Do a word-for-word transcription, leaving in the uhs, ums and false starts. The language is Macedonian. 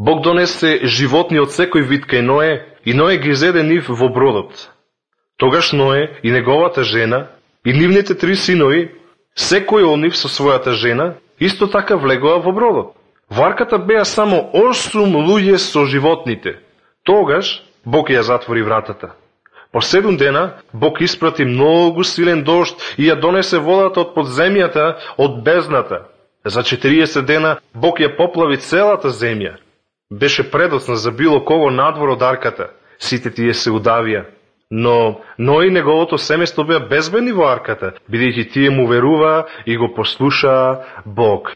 Бог донесе животни од секој вид кај Ное, и Ное ги зеде нив во бродот. Тогаш Ное и неговата жена, и нивните три синови, секој од нив со својата жена, исто така влегоа во бродот. Во арката беа само осум луѓе со животните. Тогаш Бог ја затвори вратата. По седум дена Бог испрати многу силен дожд и ја донесе водата од подземјата, од бездната. За четириесет дена Бог ја поплави целата земја. Беше предоцна за било кого надвор од арката. Сите тие се удавија. Но Ной и неговото семејство беа безбедни во арката, бидејќи тие му веруваа и го послушаа Бог.